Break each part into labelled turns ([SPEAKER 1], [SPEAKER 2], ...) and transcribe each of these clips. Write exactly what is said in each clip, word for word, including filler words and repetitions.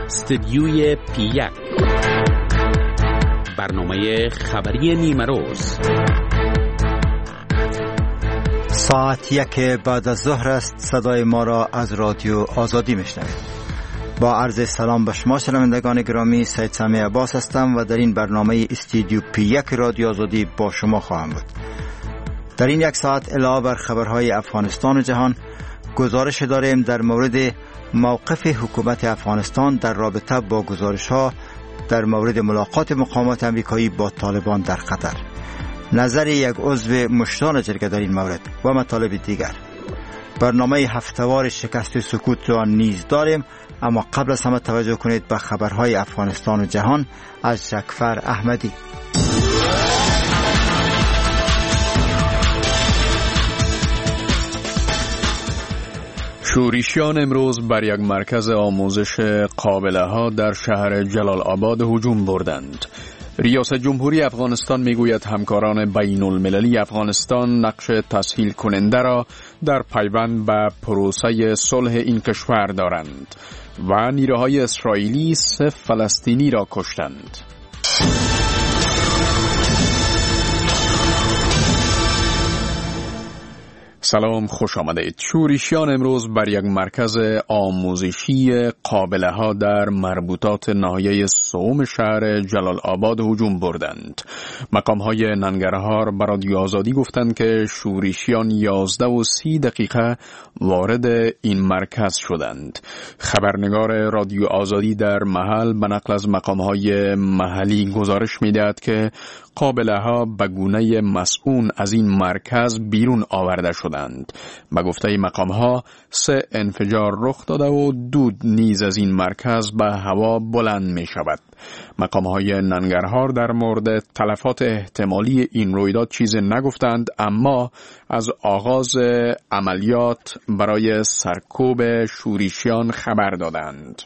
[SPEAKER 1] استدیوی پی یک، برنامه خبری نیمه روز.
[SPEAKER 2] ساعت یک بعد از ظهر است. صدای ما را از رادیو آزادی میشنوید. با عرض سلام به شما شنوندگان گرامی، سید سمیع عباس هستم و در این برنامه استودیو پی یک رادیو آزادی با شما خواهم بود. در این یک ساعت علاوه بر خبرهای افغانستان و جهان، گزارش داریم در مورد موقف حکومت افغانستان در رابطه با گزارش‌ها در مورد ملاقات مقامات امریکایی با طالبان در قطر، نظر یک عضو مشتان جرگه در این مورد و مطالب دیگر. برنامه هفته‌وار شکست سکوت را نیز داریم، اما قبل از همه توجه کنید به خبرهای افغانستان و جهان از جکفر احمدی.
[SPEAKER 3] شورشیان امروز بر یک مرکز آموزش قابله ها در شهر جلال آباد هجوم بردند. ریاست جمهوری افغانستان میگوید همکاران بین المللی افغانستان نقش تسهیل کننده را در پیوند به پروسه صلح این کشور دارند و نیروهای اسرائیلی سه فلسطینی را کشتند. سلام، خوش آمدید. شورشیان امروز بر یک مرکز آموزشی قابله ها در مربوطات ناحیه سوم شهر جلال آباد هجوم بردند. مقام های ننگرهار بر رادیو آزادی گفتند که شورشیان یازده و سی دقیقه وارد این مرکز شدند. خبرنگار رادیو آزادی در محل به نقل از مقام های محلی گزارش می‌دهد که قابله ها به گونه مسئول از این مرکز بیرون آورده شدند. به گفته مقام ها سه انفجار رخ داده و دود نیز از این مرکز به هوا بلند می شود. مقام های ننگرهار در مورد تلفات احتمالی این رویداد چیز نگفتند، اما از آغاز عملیات برای سرکوب شورشیان خبر دادند.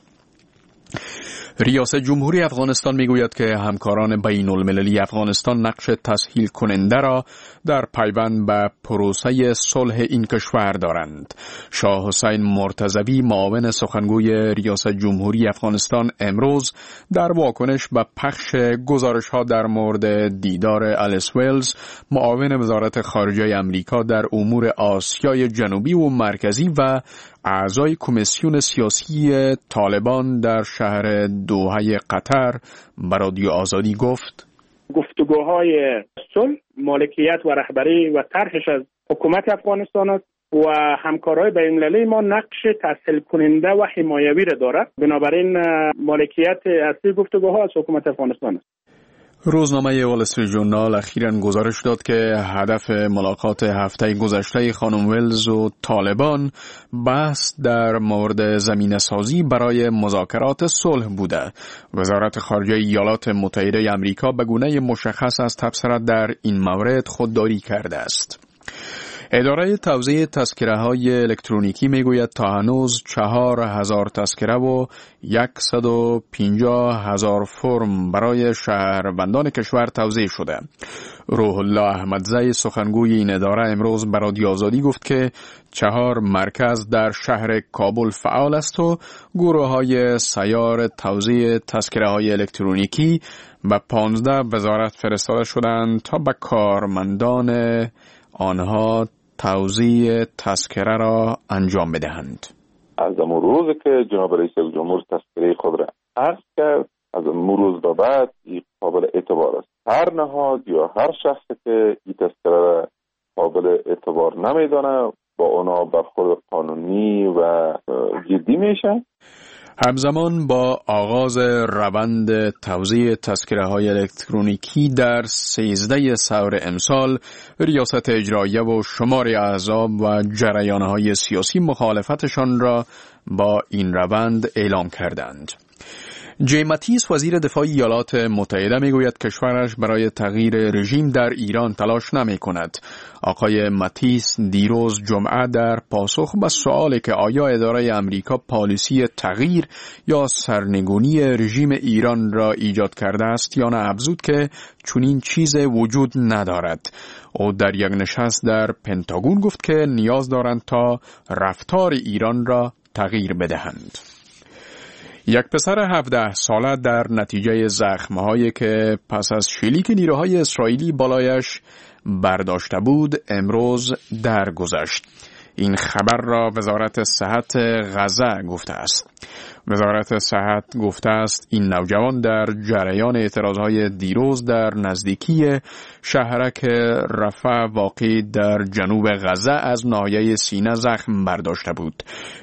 [SPEAKER 3] ریاست جمهوری افغانستان میگوید که همکاران بین المللی افغانستان نقش تسهیل کننده را در پیوند به پروسه صلح این کشور دارند. شاه حسین مرتضوی، معاون سخنگوی ریاست جمهوری افغانستان، امروز در واکنش به پخش گزارش ها در مورد دیدار الیس ویلز، معاون وزارت خارجه امریکا در امور آسیای جنوبی و مرکزی و اعضای کمیسیون سیاسی طالبان در شهر دوحه قطر، به رادیو آزادی گفت:
[SPEAKER 4] گفتگوهای صلح، مالکیت و رهبری و طرحش از حکومت افغانستان است و همکارهای بین‌المللی ما نقش تسهیل کننده و حمایوی را دارد. بنابراین مالکیت اصلی گفتگوها از حکومت افغانستان است.
[SPEAKER 3] روزنامه وال استریت ژورنال اخیراً گزارش داد که هدف ملاقات هفته گذشته خانم ویلز و طالبان بحث در مورد زمینه سازی برای مذاکرات صلح بوده. وزارت خارجه ایالات متحده آمریکا به گونه مشخص از تبصره در این مورد خودداری کرده است. اداره توزیع تذکره های الکترونیکی میگوید تا هنوز چهار هزار تذکره و صد و پنجاه هزار فرم برای شهروندان کشور توزیع شده. روح الله احمدزی، سخنگوی این اداره، امروز به رادیو آزادی گفت که چهار مرکز در شهر کابل فعال است و گروه های سیار توزیع تذکره های الکترونیکی به پانزده وزارت فرستاده شدند تا به کارمندان آنها توزیع تذکره را انجام بدهند.
[SPEAKER 5] از امون روز که جناب رئیس جمهور تذکره خود را عرض کرد، از امون روز به بعد این قابل اعتبار است. هر نهاد یا هر شخص که این تذکره را قابل اعتبار نمیدانه، با اونا برخورد قانونی و جدی میشه.
[SPEAKER 3] همزمان با آغاز روند توزیع تذکره های الکترونیکی در سیزده ثور امسال، ریاست اجراییه و شمار احزاب و جریان های سیاسی مخالفتشان را با این روند اعلام کردند. جیم ماتیس، وزیر دفاع ایالات متحده، میگوید کشورش برای تغییر رژیم در ایران تلاش نمی کند. آقای ماتیس دیروز جمعه در پاسخ به سوالی که آیا اداره امریکا پالیسی تغییر یا سرنگونی رژیم ایران را ایجاد کرده است یا نه، افزود که چنین چیز وجود ندارد. او در یک نشست در پنتاگون گفت که نیاز دارند تا رفتار ایران را تغییر بدهند. یک پسر هفده ساله در نتیجه زخم‌هایی که پس از شلیک نیروهای اسرائیلی بالایش برداشته بود امروز درگذشت. این خبر را وزارت صحت غزه گفته است. وزارت صحت گفته است این نوجوان در جریان اعتراضهای دیروز در نزدیکی شهرک رفح واقع در جنوب غزه از ناحیه سینه زخم برداشته بود.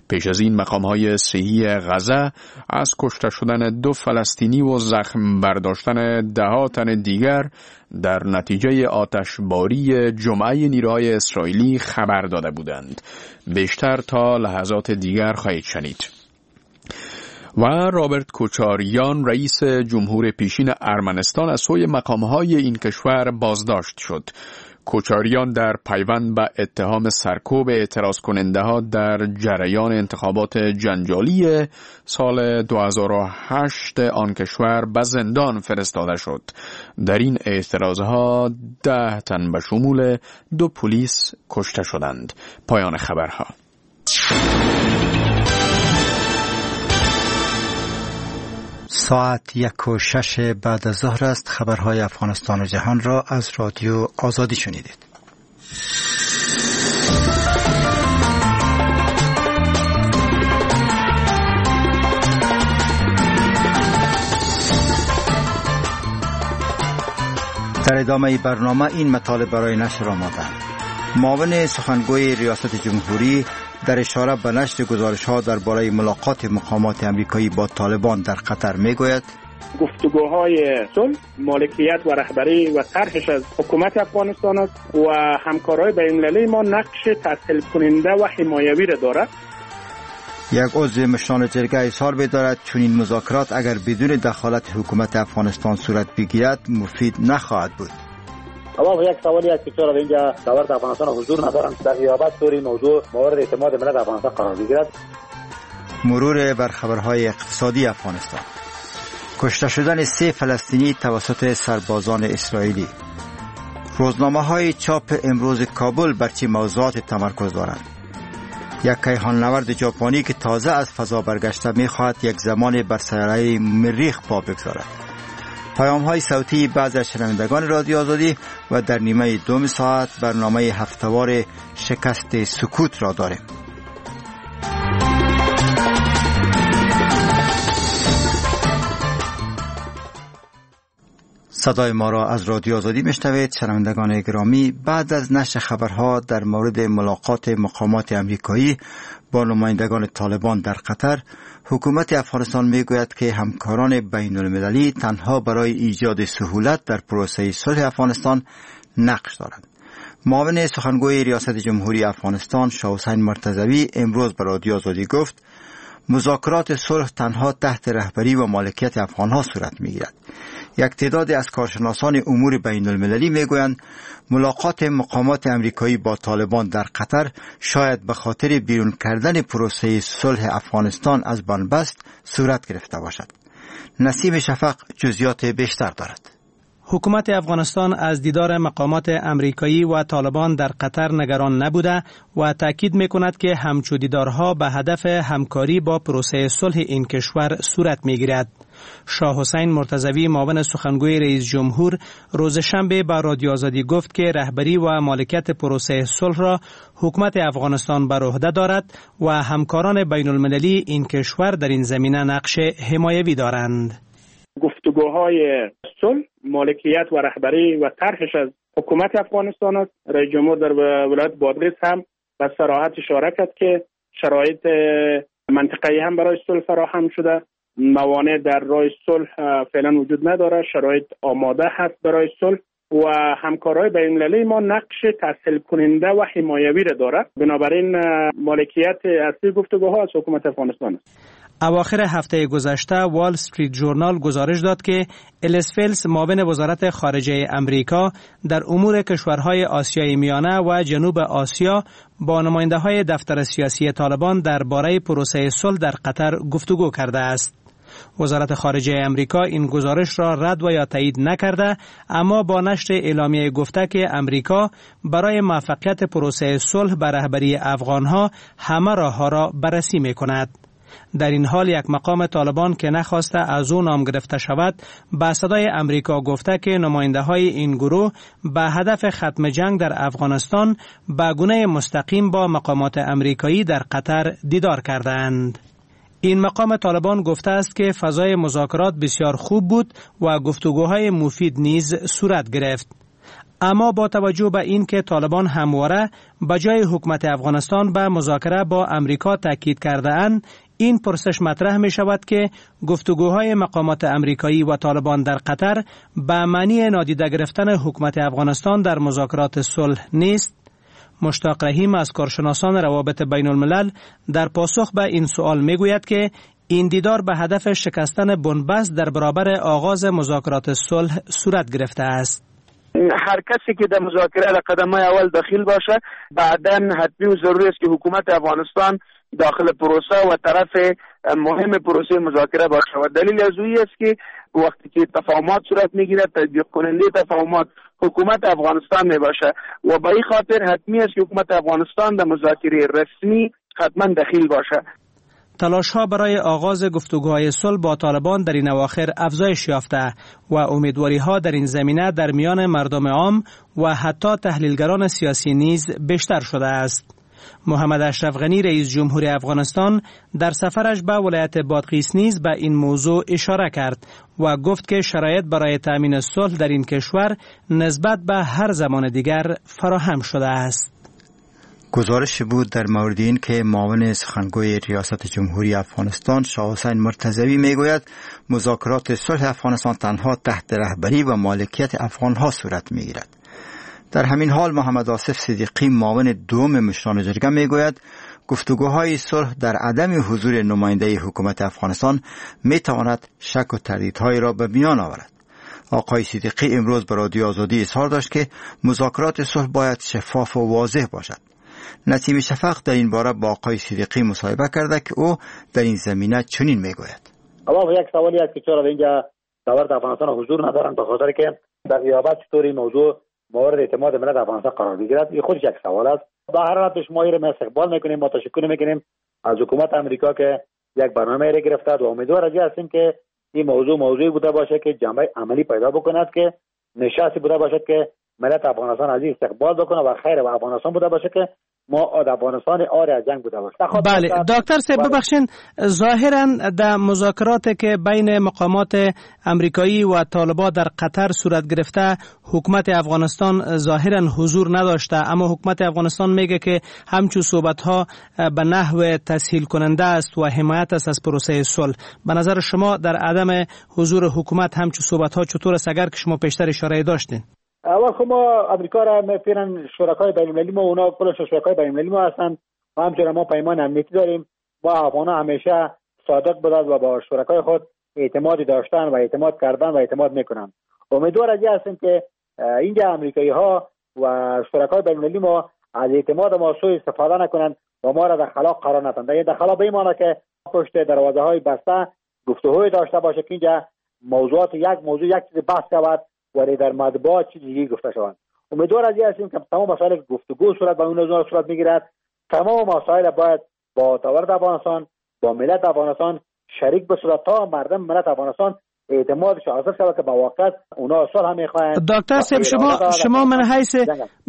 [SPEAKER 3] پیش از این مقامهای صحی غزه از کشته شدن دو فلسطینی و زخم برداشتن ده تن دیگر در نتیجه آتشباری جمعه نیروهای اسرائیلی خبر داده بودند. بیشتر تا لحظات دیگر خواهید شنید. و رابرت کوچاریان رئیس جمهور پیشین ارمنستان از سوی مقامهای این کشور بازداشت شد. کوچاریان در پیوند به اتهام سرکوب اعتراض کننده ها در جریان انتخابات جنجالی سال دو هزار و هشت آن کشور به زندان فرستاده شد. در این اعتراض ها ده تن به شمول دو پلیس کشته شدند. پایان خبرها.
[SPEAKER 2] ساعت یک و شش بعد از ظهر است. خبرهای افغانستان و جهان را از رادیو آزادی شنیدید. در ادامه برنامه این مطالب برای نشر آماده. معاون سخنگوی ریاست جمهوری در اشاره به نشر گزارش‌ها درباره ملاقات مقامات آمریکایی با طالبان در قطر می‌گوید:
[SPEAKER 4] گفتگوهای صلح، مالکیت و رهبری و طرحش از حکومت افغانستان است و همکارای بین‌المللی ما نقش تسهیل کننده و حمایوی را دارد.
[SPEAKER 2] یک عضو مشران جرگه اظهار می‌دارد چنین مذاکرات اگر بدون دخالت حکومت افغانستان صورت بگیرد مفید نخواهد بود.
[SPEAKER 6] اما یک سوالی است که چرا اینجا دولت افغانستان حضور ندارند در غیابت طور موضوع مورد اعتماد ملت افغانستان قرار بگیرد.
[SPEAKER 2] مرور بر خبرهای اقتصادی افغانستان. کشته شدن سه فلسطینی توسط سربازان اسرائیلی. روزنامه‌های چاپ امروز کابل بر چه موضوعات تمرکز دارند؟ یک کیهان نورد ژاپنی که تازه از فضا برگشته می‌خواهد یک زمان بر سیاره مریخ پا بگذارد. پیام‌های صوتی بعضی از شنوندگان رادیو آزادی و در نیمه دوم ساعت برنامه هفته‌وار شکست سکوت را داریم. صدای ما را از رادیو آزادی میشنوید. شنوندگان گرامی، بعد از نشر خبرها در مورد ملاقات مقامات امریکایی با نمایندگان طالبان در قطر، حکومت افغانستان میگوید که همکاران بین المللی تنها برای ایجاد سهولت در پروسه صلح افغانستان نقش دارند. معاون سخنگوی ریاست جمهوری افغانستان شاه حسین مرتضوی امروز به رادیو آزادی گفت مذاکرات صلح تنها تحت رهبری و مالکیت افغانها صورت میگیرد. یک تعداد از کارشناسان امور بین المللی میگویند ملاقات مقامات امریکایی با طالبان در قطر شاید به خاطر بیرون کردن پروسه صلح افغانستان از بنبست صورت گرفته باشد. نسیم شفق جزئیات بیشتر دارد.
[SPEAKER 7] حکومت افغانستان از دیدار مقامات امریکایی و طالبان در قطر نگران نبوده و تاکید میکند که همچو دیدارها به هدف همکاری با پروسه صلح این کشور صورت میگیرد. شاه حسین مرتضوی معاون سخنگوی رئیس جمهور روز شنبه به رادیو آزادی گفت که رهبری و مالکیت پروسه صلح را حکومت افغانستان بر عهده دارد و همکاران بین المللی این کشور در این زمینه نقش حمایوی دارند.
[SPEAKER 4] گفتگوهای صلح، مالکیت و رهبری و طرحش از حکومت افغانستان است. رئیس جمهور در ولایت بادغیس هم به صراحت اشاره کرد که شرایط منطقه‌ای هم برای صلح فراهم شده، موانع در راه صلح فعلا وجود نداره، شرایط آماده هست برای صلح و همکارای بین‌المللی ما نقش تسهیل کننده و حمایوی را دارد. بنابراین مالکیت اصلی گفتگوها از حکومت افغانستان است.
[SPEAKER 7] اواخر هفته گذشته وال استریت جورنال گزارش داد که الیس فیلز معاون وزارت خارجه امریکا در امور کشورهای آسیای میانه و جنوب آسیا با نماینده‌های دفتر سیاسی طالبان درباره پروسه صلح در قطر گفتگو کرده است. وزارت خارجه امریکا این گزارش را رد و یا تایید نکرده، اما با نشر اعلامیه گفته که امریکا برای موفقیت پروسه صلح به رهبری افغانها همه راه‌ها را بررسی می‌کند. در این حال یک مقام طالبان که نخواسته از او نام گرفته شود به صدای امریکا گفته که نماینده های این گروه به هدف ختم جنگ در افغانستان به گونه مستقیم با مقامات امریکایی در قطر دیدار کردند. این مقام طالبان گفته است که فضای مذاکرات بسیار خوب بود و گفتگوهای مفید نیز صورت گرفت. اما با توجه به این که طالبان همواره به جای حکومت افغانستان به مذاکره با امریکا تاکید کرده اند، این پرسش مطرح می شود که گفتگوهای مقامات امریکایی و طالبان در قطر به معنی نادیده گرفتن حکومت افغانستان در مذاکرات صلح نیست. مشتاق رحیم از کارشناسان روابط بین الملل در پاسخ به این سوال می گوید که این دیدار به هدف شکستن بنبست در برابر آغاز مذاکرات صلح صورت گرفته است.
[SPEAKER 8] هر کسی که در مذاکره در قدم‌های اول داخل باشه، بعداً حتمی و ضروری است که حکومت افغانستان داخل پروسه و طرف مهم پروسه مذاکره باشه و دلیل از اویی است که وقتی که تفاهمات صورت میگیره، تطبیق کننده تفاهمات حکومت افغانستان می باشه و به این خاطر حتمی است که حکومت افغانستان در مذاکره رسمی حتما دخیل باشه.
[SPEAKER 7] تلاش ها برای آغاز گفتگوهای صلح با طالبان در این اواخر افزایش یافته و امیدواری ها در این زمینه در میان مردم عام و حتی تحلیلگران سیاسی نیز بیشتر شده است. محمد اشرف غنی رئیس جمهور افغانستان در سفرش به ولایت بادغیس نیز به این موضوع اشاره کرد و گفت که شرایط برای تامین صلح در این کشور نسبت به هر زمان دیگر فراهم شده است.
[SPEAKER 2] گزارش بود در مورد این که معاون سخنگوی ریاست جمهوری افغانستان شاه حسین مرتضوی میگوید مذاکرات صلح افغانستان تنها تحت رهبری و مالکیت افغانها صورت میگیرد. در همین حال محمد آصف صدیقی معاون دوم مشران جرگه میگوید گفتگوهای صلح در عدم حضور نماینده حکومت افغانستان میتواند شک و تردیدهایی را به میان آورد. آقای صدیقی امروز به رادیو آزادی اظهار داشت که مذاکرات صلح باید شفاف و واضح باشد. نسیم شفق در این باره با آقای صدیقی مصاحبه کرده که او در این زمینه چنین میگوید.
[SPEAKER 6] اول یک سوالی است که چرا اینجا دولت افغانستان حضور ندارند، به خاطر که در غیابت چطوری موضوع مورد اعتماد ملت افغانستان قرار بگیرد، این خودش یک سوال است. به هر حال ما این را استقبال میکنیم، ما تشکر میکنیم از حکومت امریکا که یک برنامه را گرفته و امیدوار هستیم که این موضوع موضوعی بوده باشه که جنبه عملی پیدا بکند، که نشستی بوده باشد که ملت افغانستان از این استقبال بکنه و خیر و افغانستان بوده باشه که ما افغانستان آری از جنگ بوده باشه.
[SPEAKER 7] بله دکتر صاحب ببخشین، ظاهرا در مذاکرات که بین مقامات امریکایی و طالبان در قطر صورت گرفته حکومت افغانستان ظاهرا حضور نداشته، اما حکومت افغانستان میگه که همچون صحبت ها به نحو تسهیل کننده است و حمایت است از پروسه صلح. به نظر شما در عدم حضور حکومت همچون صحبت ها چطور است، اگر که شما پیشتر اشاره داشتین؟
[SPEAKER 6] اول خب ما امریکا را فعلا شرکای بین المللی ما، اونا کلش شرکای بین المللی ما هستند و همچنین ما پیمان امنیتی داریم. با افغان‌ها همیشه صادق بودند و با شرکای خود اعتمادی داشتن و اعتماد کردن و اعتماد میکنن. امیدوار از این هستیم که اینجا امریکایی ها و شرکای بین المللی ما از اعتماد ما سوء استفاده نکنند و ما را در خلا قرار ندهند. در خلا به این که پشت دروازه های بسته گفتگوی داشته باشه که اینجا موضوعات یک موضوع یک چیز بحث شود ولی در مطبوعات چیز دیگه گفته شوند. امیدوار از این هستیم که تمام مسائل گفتگو صورت با اون صورت میگیرد، تمام مسائل باید با دولت افغانستان، با ملت افغانستان شریک بشود تا مردم ملت افغانستان اعتمادش حاصل شود که با واقعیت اونا صلح میخواهند.
[SPEAKER 7] دکتر صاحب شما شما من حیث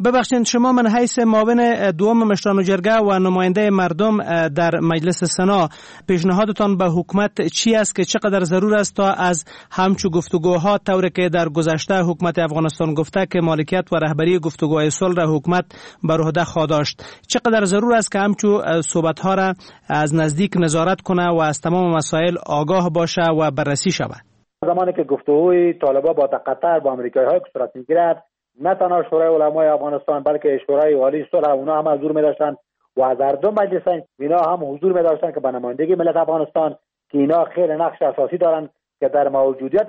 [SPEAKER 7] ببخشید شما من حیث معاون دوم مشران جرگه و نماینده مردم در مجلس سنا، پیشنهادتان به حکومت چی است که چقدر ضرور است تا از همچو گفتگوها طوری که در گذشته حکومت افغانستان گفته که مالکیت و رهبری گفتگوهای صلح را حکومت بر عهده خواهد داشت، چقدر ضرور است که همچو صحبت‌ها را از نزدیک نظارت کنه و از تمام مسائل آگاه باشه و بررسی شود؟
[SPEAKER 6] زمانی که گفتگوی طالبان با قطر با آمریکایی‌ها صورت می‌گیرد، نه تنها شورای علمای افغانستان بلکه شورای عالی صلح اونا هم حضور می‌داشتند و از هر دو مجلس اینا هم حضور می‌داشتند که به نمایندگی ملت افغانستان که اینا خیلی نقش اساسی دارند که در موجودیت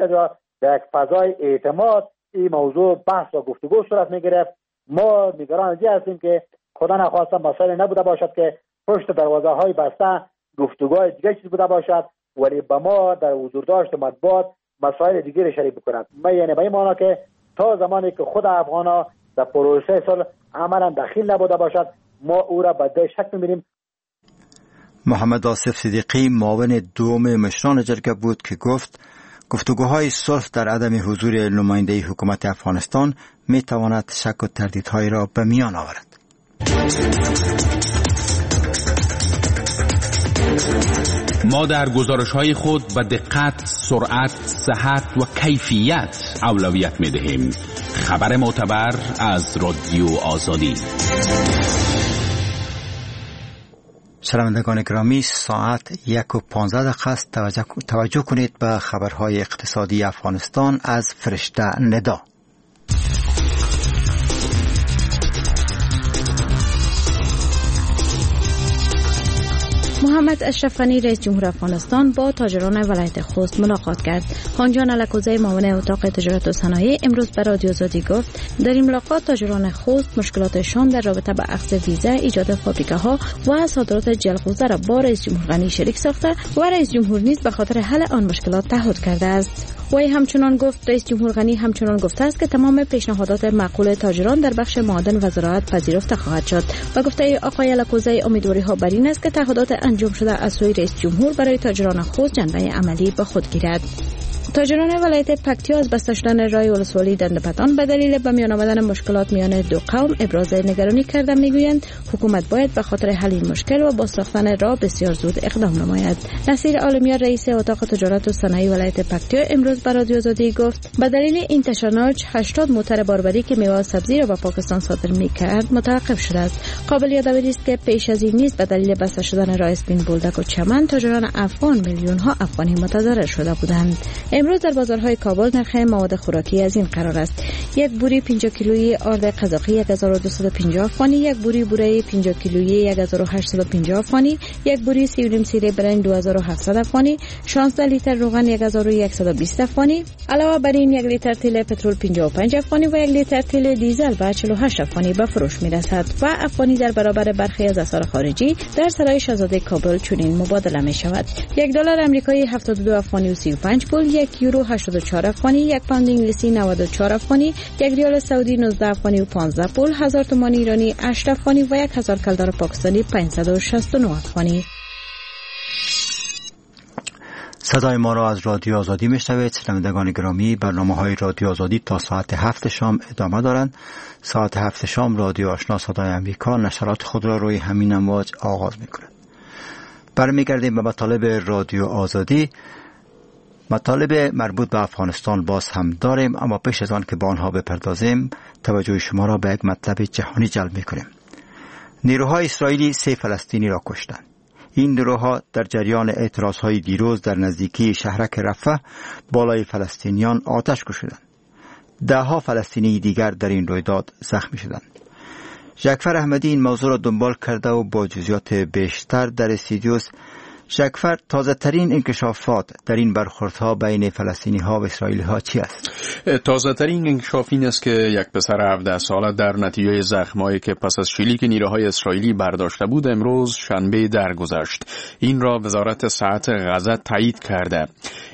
[SPEAKER 6] در یک فضای اعتماد این موضوع بحث و گفتگو صورت می‌گرفت. ما نگران از این هستیم که خدا نخواسته مسائل نبوده باشد که پشت دروازه‌های بسته گفتگوهای دیگه چیز بوده باشد، ولی به ما در حضور داشت مطبوعات مسائل دیگه را شریک بکنند. ما یعنی به این معنا که تا زمانی که خود افغان‌ها در پروسه صلح عملا دخیل نبوده باشد، ما او را به شک می‌بینیم.
[SPEAKER 2] محمد آصف صدیقی معاون دوم مشران جرگه بود که گفت گفتگوهای صلح در عدم حضور نماینده حکومت افغانستان می تواند شک و تردیدهای را به میان آورد.
[SPEAKER 1] ما در گزارش‌های خود به دقت، سرعت، صحت و کیفیت اولویت می‌دهیم. خبر معتبر از رادیو آزادی.
[SPEAKER 2] شنوندگان گرامی، ساعت یک و پانزده دقیقه است. توجه, توجه کنید به خبرهای اقتصادی افغانستان از فرشته ندا.
[SPEAKER 9] محمد اشرف غنی رئیس جمهور افغانستان با تاجران ولایت خوست ملاقات کرد. خانجان الکوزی معاون اتاق تجارت و صنایع امروز به رادیو آزادی گفت در این ملاقات تاجران خوست مشکلاتشان در رابطه با اخذ ویزا، ایجاد فابریکه‌ها و صادرات جلغوزه را با رئیس جمهور غنی شریک ساخته و رئیس جمهور نیز به خاطر حل آن مشکلات تعهد کرده است. وی همچنان گفت رئیس جمهور غنی همچنان گفته است که تمام پیشنهادات معقول تاجران در بخش معادن و زراعت پذیرفته خواهد شد. و گفته آقای الکوزی امیدواری‌ها بر این است که تعهدات انجام شده از سوی رئیس جمهور برای تاجران خود جنبه عملی به خود گیرد. تاجران ولایت پکتیا از بسته شدن راه ولسوالی دندپتان به دلیل به میان آمدن مشکلات میان دو قوم ابراز نگرانی کرده میگویند حکومت باید به خاطر حل این مشکل و باز ساختن راه بسیار زود اقدام نماید. نصیر عالمیار رئیس اتاق تجارت و صنایع ولایت پکتیا امروز به رادیو آزادی گفت به دلیل این تشنج هشتاد موتر باربری که میوه و سبزی را به پاکستان صادر میکرد متوقف شده است. قابل یادآوری است که پیش از این نیز به دلیل بسته شدن راه اسپین بولدک و چمن تاجران افغان میلیون ها افغانی متضرر شده بودند. امروز در بازارهای کابل نرخ مواد خوراکی از این قرار است: یک بوری پنجاه کیلویی آرد قزاقی هزار و دویست و پنجاه افغانی، یک بوری بوره پنجاه کیلویی هزار و هشتصد و پنجاه افغانی، یک بوری سی و نیم سیره برنج دو هزار و هفتصد افغانی، شانزده لیتر روغن هزار و صد و بیست افغانی. علاوه بر این یک لیتر تیل پترول پنجاه و پنج افغانی و یک لیتر تیل دیزل به چهل و هشت افغانی به فروش می‌رسد و افغانی در برابر برخی از اسعار خارجی در سرای شاهزاده کابل چنین مبادله می‌شود: یک دلار آمریکایی هفتاد و دو افغانی و سی و پنج پول، یک یورو هشتاد و چهار افغانی، یک پوند انگلیسی نود و چهار افغانی، یک ریال سعودی نوزده افغانی و پانزده پول، هزار تومان ایرانی هشت افغانی و یک هزار کلدار پاکستانی پانصد و شصت و نه افغانی.
[SPEAKER 2] صدای ما را از رادیو آزادی میشنوید. شنوندگان گرامی، برنامه‌های رادیو آزادی تا ساعت هفت شام ادامه دارند. ساعت هفت شام رادیو آشنا صدای آمریکا نشرات خود را روی همین امواج آغاز می‌کند. برمیگردیم به مطالب رادیو آزادی. مطالب مربوط به افغانستان باز هم داریم، اما پیش از آن که به آنها بپردازیم توجه شما را به یک مطلب جهانی جلب می‌کنیم. نیروهای اسرائیلی سه فلسطینی را کشتند. این نیروها در جریان اعتراض‌های دیروز در نزدیکی شهرک رفح بالای فلسطینیان آتش کشیدند. دهها فلسطینی دیگر در این رویداد زخمی شدند. جعفر احمدی این موضوع را دنبال کرده و با جزئیات بیشتر در استودیوست. جعفر، تازه ترین انکشافات در این برخوردها بین فلسطینی ها و اسرائیلی ها چی است؟
[SPEAKER 3] تازه ترین انکشاف این است که یک پسر هفده ساله در نتیجه زخمایی که پس از شلیک نیروهای اسرائیلی برداشته بود امروز شنبه درگذشت. این را وزارت صحت غزه تایید کرده.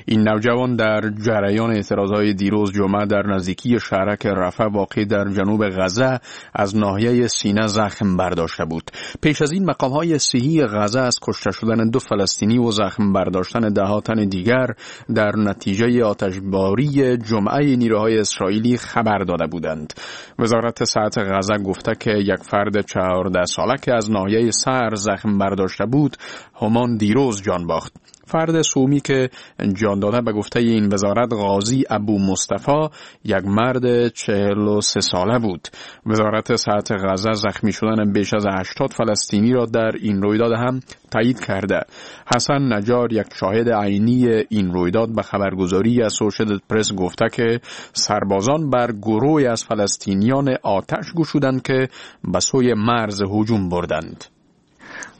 [SPEAKER 3] این نوجوان در جریان اعتراضهای دیروز جمعه در نزدیکی شهرک رفح واقع در جنوب غزه از ناحیه سینه زخم برداشته بود. پیش از این مقام‌های صحی غزه از کشته شدن دو فلسطینی و زخم برداشتن ده تن دیگر در نتیجه آتشباری جمعه نیروهای اسرائیلی خبر داده بودند. وزارت صحت غزه گفته که یک فرد چهارده ساله که از ناحیه سر زخم برداشته بود همان دیروز جان باخت. فرد سومی که جان داده به گفته این وزارت غازی ابو مصطفی یک مرد چهل و سه ساله بود. وزارت صحت غزه زخمی شدن بیش از هشتاد فلسطینی را در این رویداد هم تایید کرده. حسن نجار یک شاهد عینی این رویداد به خبرگزاری اسوسییتد پرس گفته که سربازان بر گروهی از فلسطینیان آتش گشودند که به سوی مرز هجوم بردند.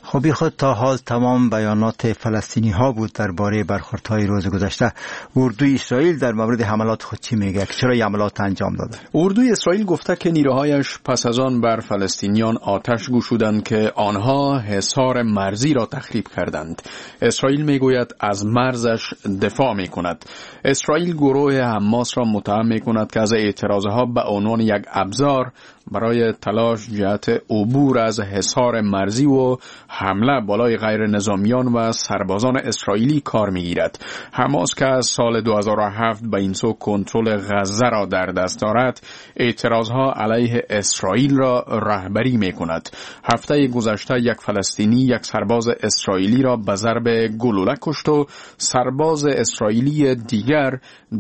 [SPEAKER 2] خب خود تا حال تمام بیانات فلسطینی ها بود درباره برخوردهای روز گذشته. اردوی اسرائیل در مورد حملات خود چی میگه؟ چرا این حملات انجام داده؟
[SPEAKER 3] اردوی اسرائیل گفته که نیروهایش پس از آن بر فلسطینیان آتش گشودند که آنها حصار مرزی را تخریب کردند. اسرائیل میگوید از مرزش دفاع میکند. اسرائیل گروه حماس را متهم میکند که از اعتراضها به عنوان یک ابزار برای تلاش جهت عبور از حصار مرزی و حمله بالای غیر نظامیان و سربازان اسرائیلی کار میگیرد. حماس که از سال دو هزار و هفت به این سو کنترل غزه را در دست دارد، اعتراضها علیه اسرائیل را رهبری میکند. هفته گذشته یک فلسطینی یک سرباز اسرائیلی را به ضرب گلوله کشت و سرباز اسرائیلی دیگر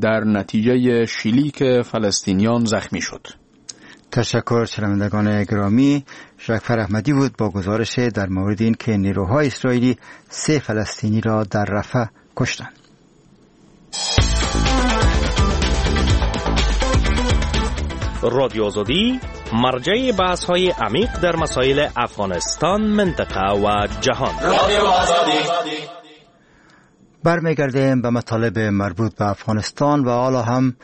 [SPEAKER 3] در نتیجه شلیک فلسطینیان زخمی شد.
[SPEAKER 2] تشکر شنوندگان گرامی. شکفر احمدی بود با گزارش در مورد این که نیروهای اسرائیلی سه فلسطینی را در رفح کشتند.
[SPEAKER 10] رادیو آزادی، مرجع بحث‌های عمیق در مسائل افغانستان، منطقه و جهان.
[SPEAKER 11] رادیو آزادی.
[SPEAKER 2] برمیگردیم به مطالب مربوط به افغانستان و حالا هم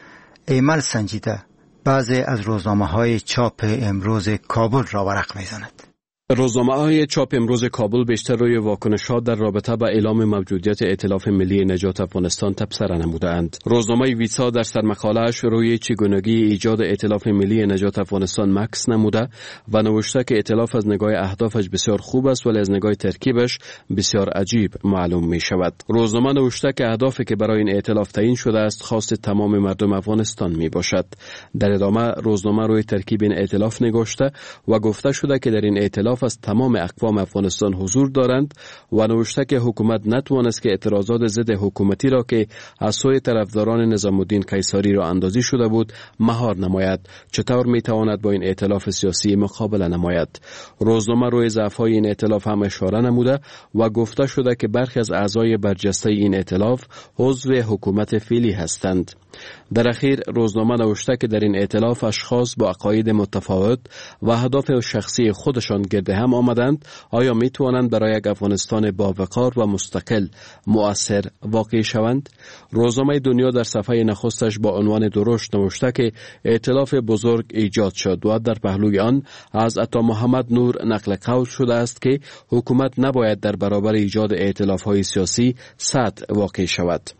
[SPEAKER 2] ایمل سنجیده بعضی از روزنامه‌های چاپ امروز کابل را ورق می‌زند.
[SPEAKER 12] روزنامه‌های چاپ امروز کابل بیشتر روی واکنش‌ها در رابطه با اعلام موجودیت ائتلاف ملی نجات افغانستان تبصره نمودند. روزنامه ویسا در سرمقاله‌اش روی چگونگی ایجاد ائتلاف ملی نجات افغانستان مکث نموده و نوشته که ائتلاف از نگاه اهدافش بسیار خوب است ولی از نگاه ترکیبش بسیار عجیب معلوم می‌شود. روزنامه نوشته که اهدافی که برای این ائتلاف تعیین شده است خواست تمام مردم افغانستان می‌باشد. در ادامه روزنامه روی ترکیب این ائتلاف نگاشته و گفته شده که در این ائتلاف از تمام اقوام افغانستان حضور دارند و نوشته که حکومت نتوانست که اعتراضات ضد حکومتی را که از سوی طرفداران نظام الدین قیصاری را اندازی شده بود مهار نماید. چطور میتواند با این ائتلاف سیاسی مقابله نماید؟ روزنامه روی ضعف‌های این ائتلاف هم اشاره نموده و گفته شده که برخی از اعضای برجسته این ائتلاف عضو حکومت فعلی هستند. در اخیر روزنامه نوشته که در این ائتلاف اشخاص با عقاید متفاوت و اهداف شخصی خودشان گرد هم آمدند. آیا می توانند برای یک افغانستان باوقار و مستقل مؤثر واقع شوند؟ روزنامه دنیا در صفحه نخستش با عنوان درشت نوشته که ائتلاف بزرگ ایجاد شد و در پهلوی آن از عطا محمد نور نقل قول شده است که حکومت نباید در برابر ایجاد ائتلاف‌های سیاسی سد واقع شود.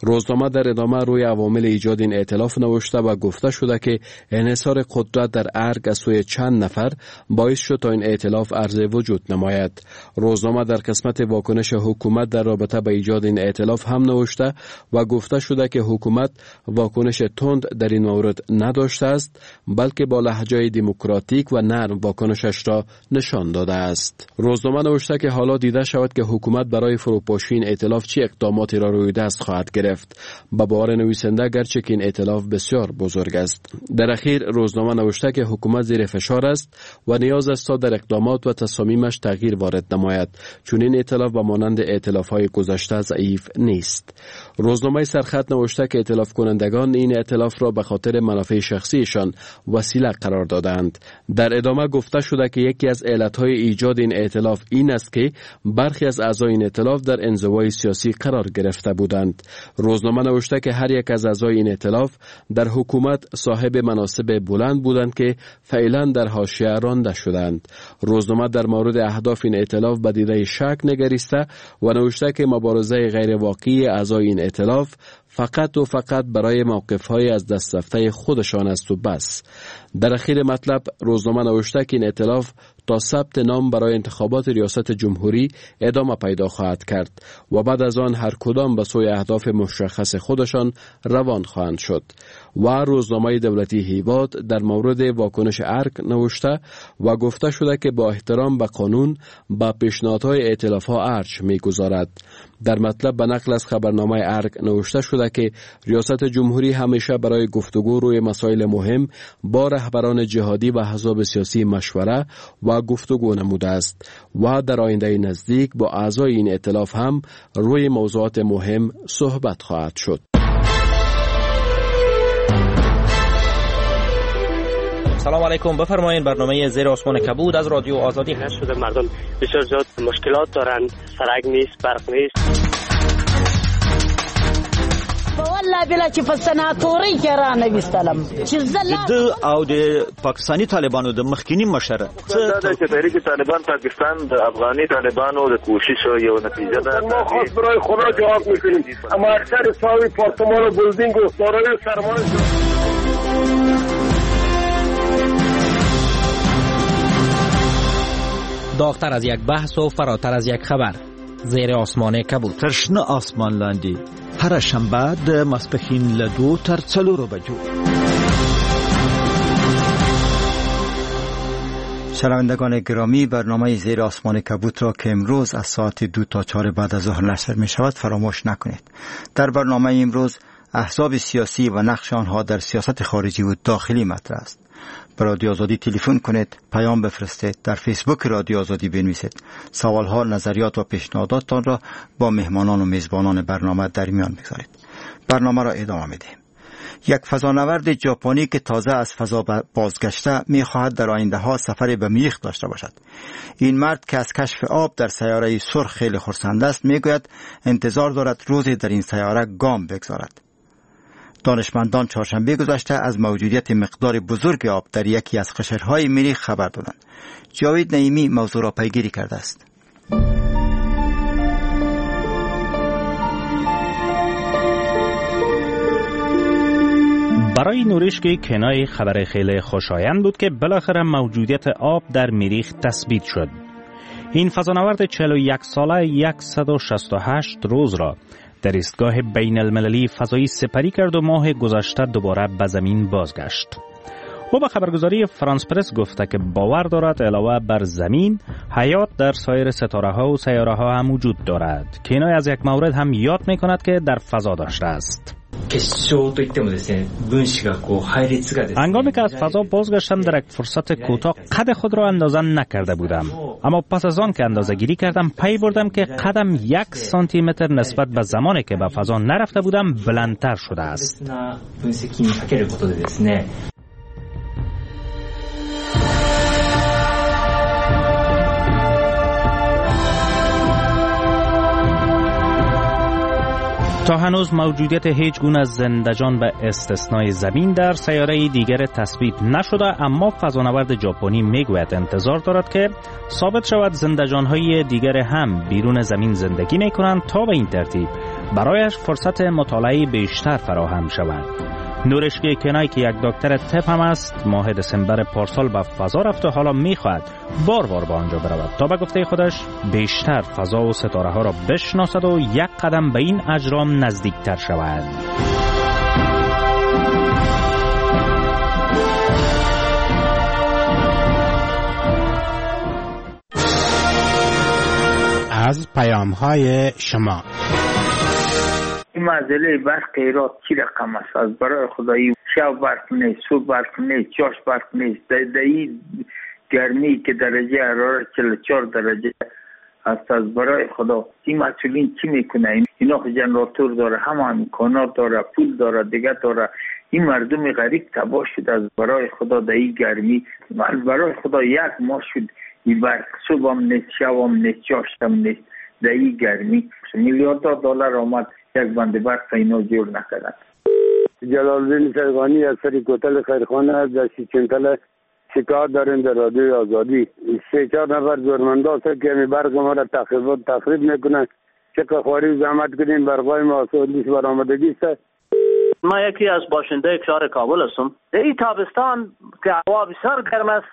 [SPEAKER 12] روزنامه در ادامه روی عوامل ایجاد این ائتلاف نوشته و گفته شده که انحصار قدرت در ارگ از سوی چند نفر باعث شد تا این ائتلاف عرض وجود نماید. روزنامه در قسمت واکنش حکومت در رابطه با ایجاد این ائتلاف هم نوشته و گفته شده که حکومت واکنش تند در این مورد نداشته است، بلکه با لهجه دموکراتیک و نرم واکنشش را نشان داده است. روزنامه نوشته که حالا دیده شود که حکومت برای فروپاشی این ائتلاف چه اقداماتی را روی دست خواهد گرفت. به باور نویسنده گرچه که این ائتلاف بسیار بزرگ است. در اخیر روزنامه نوشته که حکومت زیر فشار است و نیاز است تا در اقدامات و تصامیمش تغییر وارد نماید، چون این ائتلاف به مانند ائتلاف‌های گذشته ضعیف نیست. روزنامه سرخط نوشته که ائتلاف کنندگان این ائتلاف را به خاطر منافع شخصیشان وسیله قرار دادند. در ادامه گفته شده که یکی از علت‌های ایجاد این ائتلاف این است که برخی از اعضای این ائتلاف در انزوای سیاسی قرار گرفته بودند. روزنامه نوشته که هر یک از اعضای این ائتلاف در حکومت صاحب مناصب بلند بودند که فعلا در حاشیه رانده شدند. روزنامه در مورد اهداف این ائتلاف به دیده شک نگریسته و نوشته که مبارزه غیر واقعی اعضای این ائتلاف فقط و فقط برای موقف‌های از دست رفته خودشان است و بس. در اخیر مطلب روزنامه نوشته که این ائتلاف تا ثبت نام برای انتخابات ریاست جمهوری ادامه پیدا خواهد کرد و بعد از آن هر کدام به سوی اهداف مشخص خودشان روان خواهند شد. و روزنامه دولتی هیواد در مورد واکنش ارگ نوشته و گفته شده که با احترام به قانون با پیشنهادهای ائتلاف‌ها ارج می‌گذارد. در مطلب به نقل از خبرنامه ارگ نوشته شده که ریاست جمهوری همیشه برای گفتگو روی مسائل مهم با رهبران جهادی و احزاب سیاسی مشوره و گفتگو نموده است و در آینده نزدیک با اعضای این ائتلاف هم روی موضوعات مهم صحبت خواهد شد.
[SPEAKER 10] سلام علیکم، بفرمایید برنامه زیر آسمان کبود از رادیو آزادی.
[SPEAKER 13] شده مردم بسیار زیاد مشکلات دارند، سرک نیست، برق نیست.
[SPEAKER 14] والله بلا چې په سناتوري کې را نه وستلم چې زه
[SPEAKER 15] د او د پاکستاني طالبانو د مخکینی مشر
[SPEAKER 5] دا چې تحریک طالبان پاکستان د افغاني طالبانو د کوشش یو نتیجه ده.
[SPEAKER 16] ما خواست برای خدا جواب میکنیم، اما اکثر ساوی پارتمان و بلدینگ و دارای سرمایه.
[SPEAKER 10] داغ‌تر از یک بحث و فراتر از یک خبر، زیر آسمان کبود.
[SPEAKER 15] تر شنه آسمان لاندې هره شنبه د ماسپښین له دوو تر څلورو بجو.
[SPEAKER 2] شنوندگان گرامی، برنامه زیر آسمان کبود را که امروز از ساعت دو تا چهار بعد از ظهر نشر می شود فراموش نکنید. در برنامه امروز احزاب سیاسی و نقش آنها در سیاست خارجی و داخلی مطرح است. به رادیو آزادی تلفن کنید، پیام بفرستید، در فیسبوک رادیو آزادی بنویسید. سوالها، نظریات و پیشنهاداتتان را با مهمانان و میزبانان برنامه در میان بگذارید. برنامه را ادامه میدهیم. یک فضانورد ژاپنی که تازه از فضا بازگشته میخواهد در آینده ها سفر به مریخ داشته باشد. این مرد که از کشف آب در سیاره سرخ خیلی خرسند است، میگوید انتظار دارد روزی در این سیاره گام بگذارد. دانشمندان چهارشنبه گذشته از موجودیت مقدار بزرگ آب در یکی از قشرهای مریخ خبر دادند. جاوید نعیمی موضوع را پیگیری کرده است.
[SPEAKER 11] برای نوریشکی کنای خبر خیلی خوشایند بود که بالاخره موجودیت آب در مریخ تثبیت شد. این فضانورد چهل و یک ساله صد و شصت و هشت روز را در ایستگاه بین المللی فضایی سپری کرد و ماه گذشته دوباره به زمین بازگشت. او به خبرگزاری فرانس پرس گفته که باور دارد علاوه بر زمین، حیات در سایر ستاره ها و سیاره ها هم وجود دارد. کنای از یک مورد هم یاد می کند که در فضا داشته است. هنگامی که از فضا بازگشتم در یک فرصت کوتاه قد خود را اندازه نکرده بودم، اما پس از آن که اندازه گیری کردم پی بردم که قدم یک سانتی متر نسبت به زمانی که به فضا نرفته بودم بلندتر شده است. تا هنوز موجودیت هیچ گونه زندجان به استثنای زمین در سیاره دیگر تثبیت نشده، اما فضانورد ژاپنی میگوید انتظار دارد که ثابت شود زندجان‌های دیگر هم بیرون زمین زندگی میکنند تا به این ترتیب برایش فرصت مطالعه بیشتر فراهم شود. نورشکی کنای که یک دکتر طب هم است، ماه دسامبر پارسال به فضا رفت و حالا میخواهد بار بار به آنجا برود تا به گفته خودش بیشتر فضا و ستاره ها را بشناسد و یک قدم به این اجرام نزدیکتر شود.
[SPEAKER 17] از پیام های شما.
[SPEAKER 18] این معضله برق ایراد چی رقم است؟ از برای خدایی شب برق نیست، صبح برق نیست، چاش برق نیست. در این گرمی که درجه حرارت چهل و چهار درجه است، از برای خدا این مسئولین چی میکنه؟ اینا خو جنراتور داره، همه امکانات داره، پول داره، دیگه داره. این مردم غریب تباه شد از برای خدا در این گرمی. از برای خدا یک ماه شد این برق صبح هم نیست، شب هم نیست، چاشت هم نیست. در این گرمی میلیاردها دلار آمد، یک بند برق اینا جور نکردن.
[SPEAKER 16] جلالدین سرگانی از سری کوتل خیرخانه در سیچنتل شکار داریم در رادیوی آزادی. سه چهار نفر زورمنده هست که برق ما را تخریب تخریب میکنن. چقدر خواری زحمت کنیم برقای ما آسودیش برآمدگی است.
[SPEAKER 19] ما یکی از باشنده شهر کابل هستم. در این تابستان که هوا بسیار گرم است،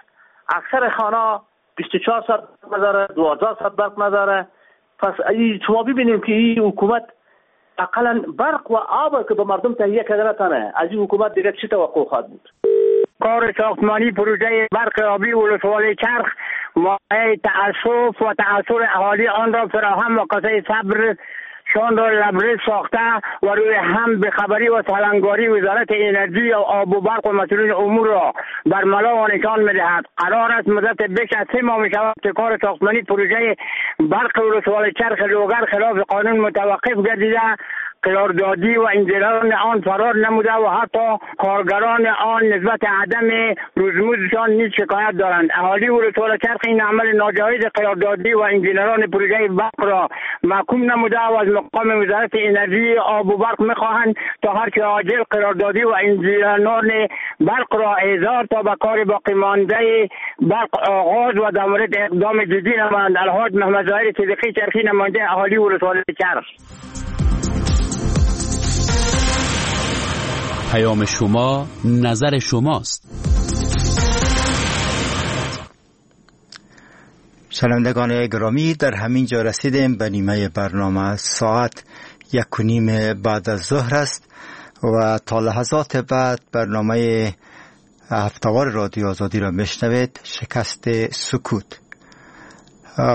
[SPEAKER 19] اکثر خانه بیست و چهار ساعت نداره، دوازده ساعت برق نداره. پس شما ببینیم که این حکومت اقلا برق و آب که به مردم تهیه کرده نتانه، از این حکومت دیگه چی توقع خواهد بود؟
[SPEAKER 20] کار ساختمانی پروژه برق آبی ولسوالی چرخ مایه تأسف و تأثر اهالی آن را فراهم و کاسه صبر شان را لبریز ساخته و روی هم به خبری و سالنگاری وزارت انرژی و آب و برق و مسئولین امور را بر ملا و نشان می‌دهد. قرار است مدت بیش از سه ماه می‌شود که کار ساختمانی پروژه برق ولسوالی چرخ لوگر خلاف قانون متوقف گردیده، قراردادی و انجینران آن فرار نموده و حتی کارگران آن نسبت عدم روزمزدشان نیز شکایت دارند. اهالی ولسوالی چرخ این عمل ناجایز قراردادی و انجینران پروژه برق را محکوم نموده و از مقام وزارت انرژی آب و برق میخواهند تا هر چه عاجل قراردادی و انجینران برق را احضار تا به کار باقی مانده برق آغاز و در مورد اقدام جدی نمایند. الحاج محمد ظاهر صدیقی چرخی، نماینده اهالی ولسوالی چرخ.
[SPEAKER 1] پیام شما نظر شماست.
[SPEAKER 2] شنوندگان گرامی، در همین جا رسیدیم به نیمه برنامه. ساعت یک و نیم بعد از ظهر است و تا لحظات بعد برنامه هفته‌وار رادیو آزادی را میشنوید، شکست سکوت.